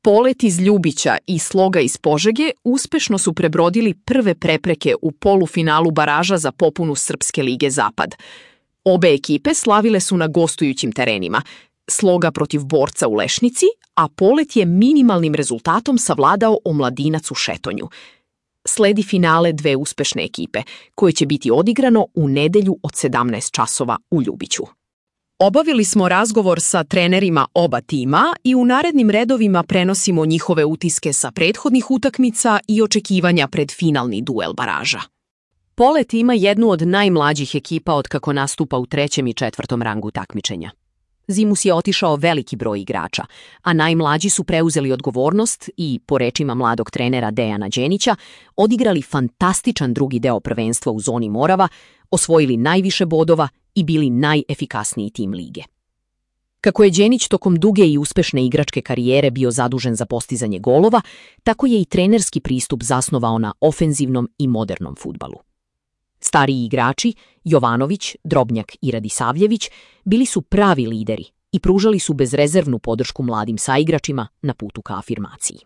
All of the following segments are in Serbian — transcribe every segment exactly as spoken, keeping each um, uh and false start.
Polet iz Ljubića i Sloga iz Požege uspešno su prebrodili prve prepreke u polufinalu baraža za popunu Srpske lige Zapad. Obe ekipe slavile su na gostujućim terenima, Sloga protiv Borca u Lešnici, a Polet je minimalnim rezultatom savladao Omladinac u Šetonju. Sledi finale dve uspešne ekipe, koje će biti odigrano u nedelju od sedamnaest časova u Ljubiću. Obavili smo razgovor sa trenerima oba tima i u narednim redovima prenosimo njihove utiske sa prethodnih utakmica i očekivanja pred finalni duel baraža. Polet ima jednu od najmlađih ekipa od kako nastupa u trećem i četvrtom rangu takmičenja. Zimus je otišao veliki broj igrača, a najmlađi su preuzeli odgovornost i, po rečima mladog trenera Dejana Đenića, odigrali fantastičan drugi deo prvenstva u zoni Morava, osvojili najviše bodova i bili najefikasniji tim lige. Kako je Đenić tokom duge i uspešne igračke karijere bio zadužen za postizanje golova, tako je i trenerski pristup zasnovao na ofenzivnom i modernom fudbalu. Stariji igrači, Jovanović, Drobnjak i Radisavljević, bili su pravi lideri i pružali su bezrezervnu podršku mladim saigračima na putu ka afirmaciji.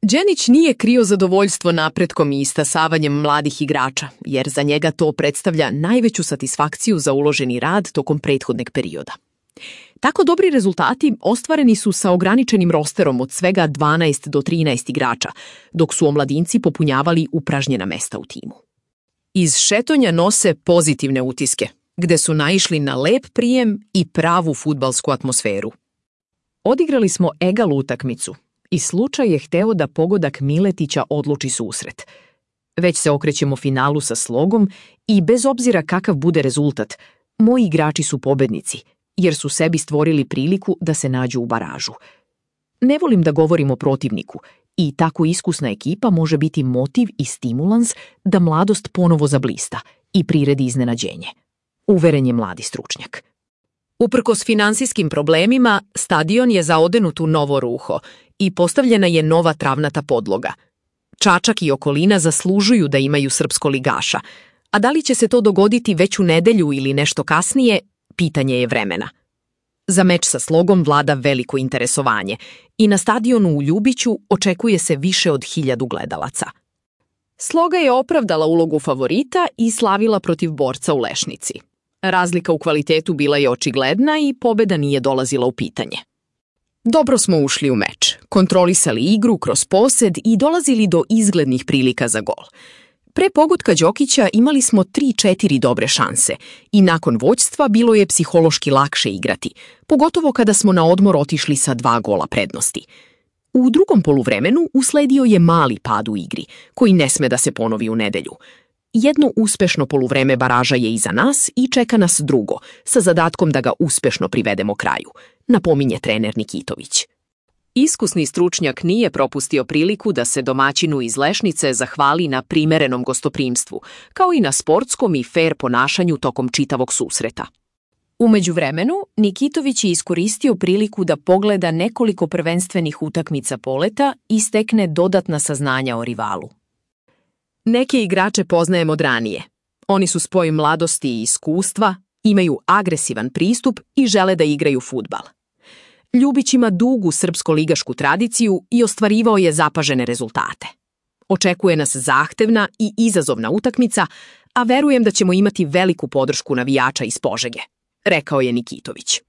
Đenić nije krio zadovoljstvo napretkom i istasavanjem mladih igrača, jer za njega to predstavlja najveću satisfakciju za uloženi rad tokom prethodnog perioda. Tako dobri rezultati ostvareni su sa ograničenim rosterom od svega dvanaest do trinaest igrača, dok su omladinci popunjavali upražnjena mesta u timu. Iz Šetonja nose pozitivne utiske, gde su naišli na lep prijem i pravu fudbalsku atmosferu. Odigrali smo egal utakmicu i slučaj je hteo da pogodak Miletića odluči susret. Već se okrećemo finalu sa Slogom i bez obzira kakav bude rezultat, moji igrači su pobednici, jer su sebi stvorili priliku da se nađu u baražu. Ne volim da govorim o protivniku, i tako iskusna ekipa može biti motiv i stimulans da mladost ponovo zablista i priredi iznenađenje. Uveren je mladi stručnjak. Uprkos finansijskim problemima, stadion je zaodenut u novo ruho i postavljena je nova travnata podloga. Čačak i okolina zaslužuju da imaju srpskoligaša, a da li će se to dogoditi već u nedelju ili nešto kasnije, pitanje je vremena. Za meč sa Slogom vlada veliko interesovanje i na stadionu u Ljubiću očekuje se više od hiljadu gledalaca. Sloga je opravdala ulogu favorita i slavila protiv Borca u Lešnici. Razlika u kvalitetu bila je očigledna i pobeda nije dolazila u pitanje. Dobro smo ušli u meč, kontrolisali igru kroz posed i dolazili do izglednih prilika za gol. Pre pogotka Đokića imali smo tri četiri dobre šanse i nakon vođstva bilo je psihološki lakše igrati, pogotovo kada smo na odmor otišli sa dva gola prednosti. U drugom poluvremenu usledio je mali pad u igri, koji ne sme da se ponovi u nedelju. Jedno uspešno poluvreme baraža je iza nas i čeka nas drugo, sa zadatkom da ga uspešno privedemo kraju, napominje trener Nikitović. Iskusni stručnjak nije propustio priliku da se domaćinu iz Lešnice zahvali na primerenom gostoprimstvu, kao i na sportskom i fer ponašanju tokom čitavog susreta. U međuvremenu, Nikitović je iskoristio priliku da pogleda nekoliko prvenstvenih utakmica Poleta i stekne dodatna saznanja o rivalu. Neke igrače poznajem od ranije. Oni su spoj mladosti i iskustva, imaju agresivan pristup i žele da igraju fudbal. Ljubić ima dugu srpsko-ligašku tradiciju i ostvarivao je zapažene rezultate. Očekuje nas zahtevna i izazovna utakmica, a verujem da ćemo imati veliku podršku navijača iz Požege, rekao je Nikitović.